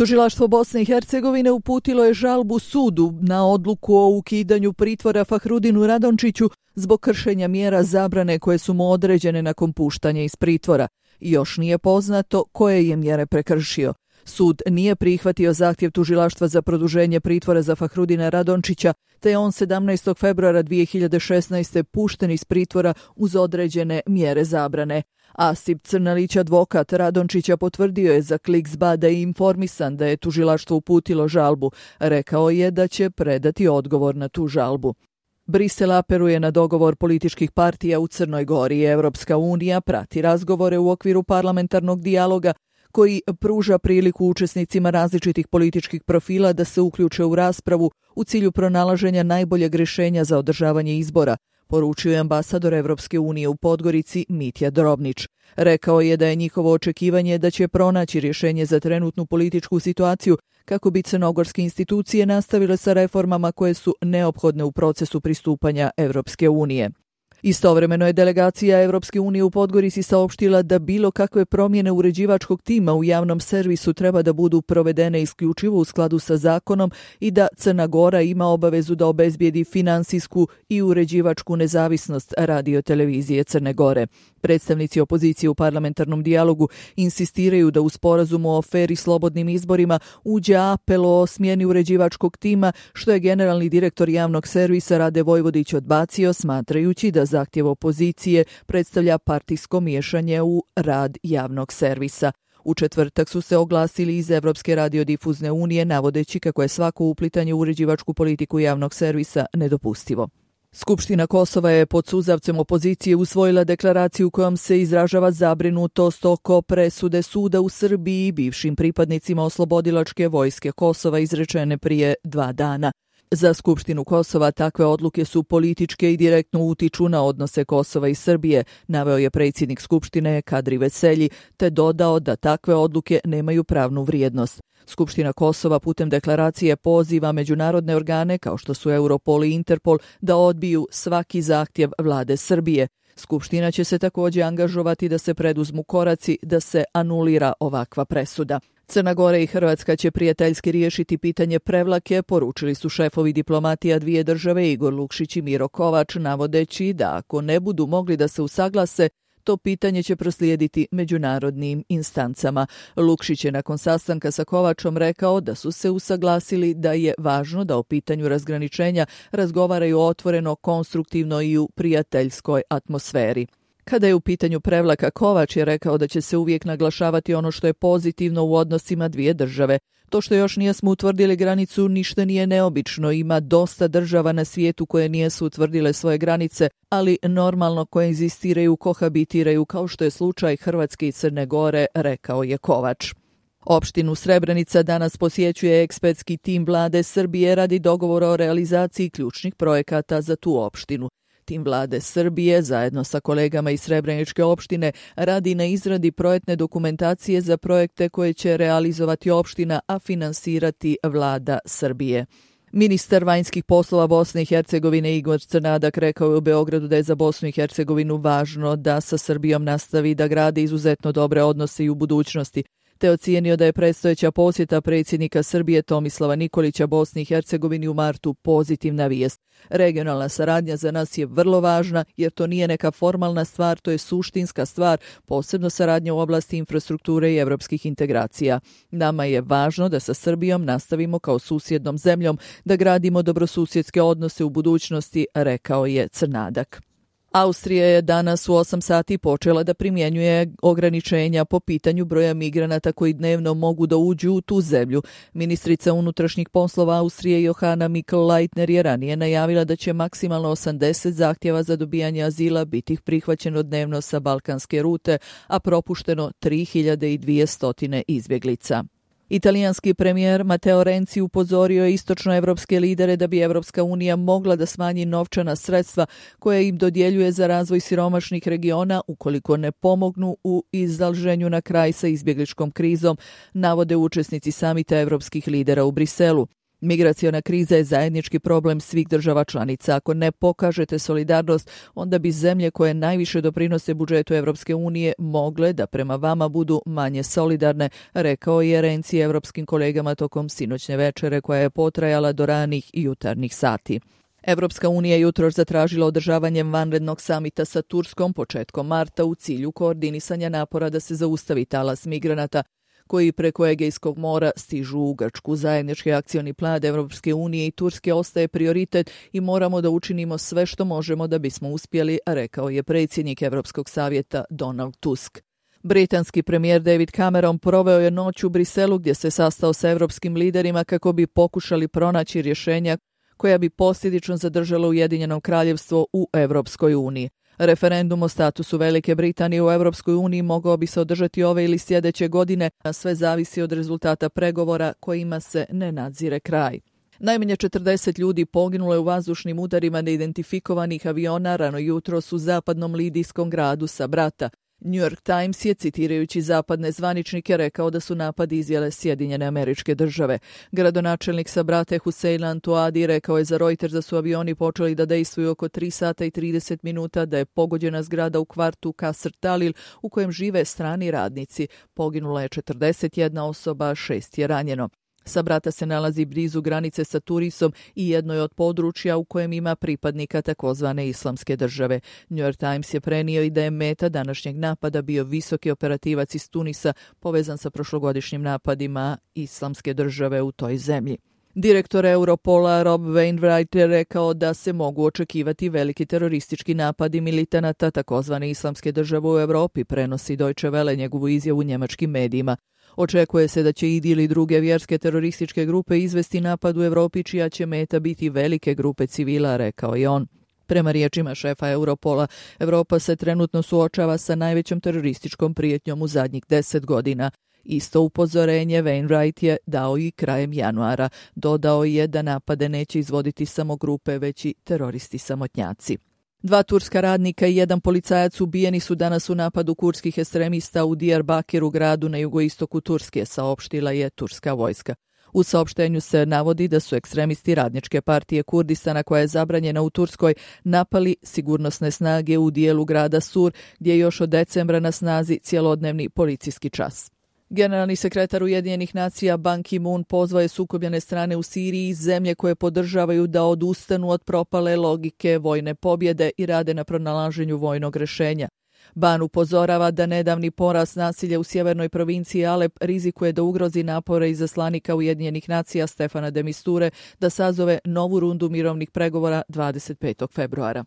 Tužilaštvo Bosne i Hercegovine uputilo je žalbu sudu na odluku o ukidanju pritvora Fahrudinu Radončiću zbog kršenja mjera zabrane koje su mu određene nakon puštanja iz pritvora. Još nije poznato koje je mjere prekršio. Sud nije prihvatio zahtjev tužilaštva za produženje pritvora za Fahrudina Radončića, te je on 17. februara 2016. pušten iz pritvora uz određene mjere zabrane. Asip Crnalić, advokat Radončića, potvrdio je za Kliks.ba da je informisan da je tužilaštvo uputilo žalbu. Rekao je da će predati odgovor na tu žalbu. Brisel apeluje na dogovor političkih partija u Crnoj Gori. Evropska unija prati razgovore u okviru parlamentarnog dijaloga koji pruža priliku učesnicima različitih političkih profila da se uključe u raspravu u cilju pronalaženja najboljeg rješenja za održavanje izbora, poručio je ambasador Evropske unije u Podgorici Mitja Drobnić. Rekao je da je njihovo očekivanje da će pronaći rješenje za trenutnu političku situaciju kako bi crnogorske institucije nastavile sa reformama koje su neophodne u procesu pristupanja Evropske unije. Istovremeno je delegacija Evropske unije u Podgorici saopštila da bilo kakve promjene uređivačkog tima u javnom servisu treba da budu provedene isključivo u skladu sa zakonom i da Crna Gora ima obavezu da obezbijedi finansijsku i uređivačku nezavisnost radiotelevizije Crne Gore. Predstavnici opozicije u parlamentarnom dijalogu insistiraju da u sporazumu o fer i slobodnim izborima uđe apel o smjeni uređivačkog tima, što je generalni direktor javnog servisa Rade Vojvodić odbacio, smatrajući da zahtjev opozicije predstavlja partijsko miješanje u rad javnog servisa. U četvrtak su se oglasili iz Evropske radiodifuzne unije, navodeći kako je svako uplitanje u uređivačku politiku javnog servisa nedopustivo. Skupština Kosova je pod suzavcem opozicije usvojila deklaraciju kojom se izražava zabrinutost oko presude suda u Srbiji bivšim pripadnicima oslobodilačke vojske Kosova izrečene prije 2 dana. Za Skupštinu Kosova takve odluke su političke i direktno utiču na odnose Kosova i Srbije, naveo je predsjednik Skupštine Kadri Veselji, te dodao da takve odluke nemaju pravnu vrijednost. Skupština Kosova putem deklaracije poziva međunarodne organe kao što su Europol i Interpol da odbiju svaki zahtjev vlade Srbije. Skupština će se također angažovati da se preduzmu koraci da se anulira ovakva presuda. Crna Gora i Hrvatska će prijateljski riješiti pitanje Prevlake, poručili su šefovi diplomatija dvije države Igor Lukšić i Miro Kovač, navodeći da ako ne budu mogli da se usaglase, to pitanje će proslijediti međunarodnim instancama. Lukšić je nakon sastanka sa Kovačom rekao da su se usaglasili da je važno da o pitanju razgraničenja razgovaraju otvoreno, konstruktivno i u prijateljskoj atmosferi. Kada je u pitanju Prevlaka, Kovač je rekao da će se uvijek naglašavati ono što je pozitivno u odnosima dvije države. To što još nijesmo utvrdili granicu ništa nije neobično, ima dosta država na svijetu koje nijesu utvrdile svoje granice, ali normalno koegzistiraju, kohabitiraju kao što je slučaj Hrvatske i Crne Gore, rekao je Kovač. Opštinu Srebrenica danas posjećuje ekspertski tim vlade Srbije radi dogovora o realizaciji ključnih projekata za tu opštinu. Tim vlade Srbije zajedno sa kolegama iz Srebreničke opštine radi na izradi projektne dokumentacije za projekte koje će realizovati opština, a finansirati vlada Srbije. Ministar vanjskih poslova Bosne i Hercegovine Igor Crnadak rekao je u Beogradu da je za Bosnu i Hercegovinu važno da sa Srbijom nastavi da gradi izuzetno dobre odnose i u budućnosti, te ocijenio da je predstojeća posjeta predsjednika Srbije Tomislava Nikolića Bosni i Hercegovini u martu pozitivna vijest. Regionalna saradnja za nas je vrlo važna jer to nije neka formalna stvar, to je suštinska stvar, posebno saradnja u oblasti infrastrukture i evropskih integracija. Nama je važno da sa Srbijom nastavimo kao susjednom zemljom, da gradimo dobrosusjedske odnose u budućnosti, rekao je Crnadak. Austrija je danas u 8 sati počela da primjenjuje ograničenja po pitanju broja migranata koji dnevno mogu da uđu u tu zemlju. Ministrica unutrašnjih poslova Austrije Johanna Mikl-Leitner je ranije najavila da će maksimalno 80 zahtjeva za dobijanje azila biti prihvaćeno dnevno sa balkanske rute, a propušteno 3200 izbjeglica. Italijanski premijer Matteo Renzi upozorio je istočnoevropske lidere da bi Evropska unija mogla da smanji novčana sredstva koja im dodjeljuje za razvoj siromašnih regiona ukoliko ne pomognu u izlaženju na kraj sa izbjegličkom krizom, navode učesnici samita evropskih lidera u Briselu. Migraciona kriza je zajednički problem svih država članica. Ako ne pokažete solidarnost, onda bi zemlje koje najviše doprinose budžetu Evropske unije mogle da prema vama budu manje solidarne, rekao je Renzi evropskim kolegama tokom sinoćne večere koja je potrajala do ranih jutarnjih sati. Evropska unija jutros zatražila održavanje vanrednog samita sa Turskom početkom marta u cilju koordinisanja napora da se zaustavi talas migranata koji preko Egejskog mora stižu u Grčku. Zajednički akcioni plan Evropske unije i Turske ostaje prioritet i moramo da učinimo sve što možemo da bismo uspjeli, rekao je predsjednik Evropskog savjeta Donald Tusk. Britanski premijer David Cameron proveo je noć u Briselu gdje se sastao sa evropskim liderima kako bi pokušali pronaći rješenja koja bi posljedično zadržala Ujedinjeno kraljevstvo u Evropskoj uniji. Referendum o statusu Velike Britanije u Evropskoj uniji mogao bi se održati ove ili sljedeće godine, a sve zavisi od rezultata pregovora kojima se ne nadzire kraj. Najmanje 40 ljudi poginulo je u vazdušnim udarima neidentifikovanih aviona rano jutros u zapadnom lidijskom gradu Sabrata. New York Times je, citirajući zapadne zvaničnike, rekao da su napad izvele Sjedinjene Američke Države. Gradonačelnik Sabrate Hussein Antoadi rekao je za Reuters da su avioni počeli da dejstvuju oko 3 sata i 30 minuta, da je pogođena zgrada u kvartu Kasr Talil u kojem žive strani radnici. Poginula je 41 osoba, 6 je ranjeno. Sabrata se nalazi blizu granice sa Tunisom i jedno je od područja u kojem ima pripadnika takozvane Islamske države. New York Times je prenio i da je meta današnjeg napada bio visoki operativac iz Tunisa povezan sa prošlogodišnjim napadima Islamske države u toj zemlji. Direktor Europola Rob Wainwright je rekao da se mogu očekivati veliki teroristički napadi militanata takozvane Islamske države u Europi, prenosi Deutsche Welle njegovu izjavu u njemačkim medijima. Očekuje se da će IDIL ili druge vjerske terorističke grupe izvesti napad u Europi čija će meta biti velike grupe civila, rekao je on. Prema riječima šefa Europola, Europa se trenutno suočava sa najvećom terorističkom prijetnjom u zadnjih 10 godina. Isto upozorenje Wainwright je dao i krajem januara. Dodao je da napade neće izvoditi samo grupe, već i teroristi samotnjaci. 2 turska radnika i 1 policajac ubijeni su danas u napadu kurdskih ekstremista u Diyarbakiru, gradu na jugoistoku Turske, saopštila je turska vojska. U saopštenju se navodi da su ekstremisti Radničke partije Kurdistana, koja je zabranjena u Turskoj, napali sigurnosne snage u dijelu grada Sur, gdje je još od decembra na snazi cjelodnevni policijski čas. Generalni sekretar Ujedinjenih nacija Ban Ki-moon pozvao je sukobljene strane u Siriji i zemlje koje podržavaju da odustanu od propale logike vojne pobjede i rade na pronalaženju vojnog rješenja. Ban upozorava da nedavni porast nasilja u sjevernoj provinciji Alep rizikuje da ugrozi napore izaslanika Ujedinjenih nacija Stefana de Misture da sazove novu rundu mirovnih pregovora 25. februara.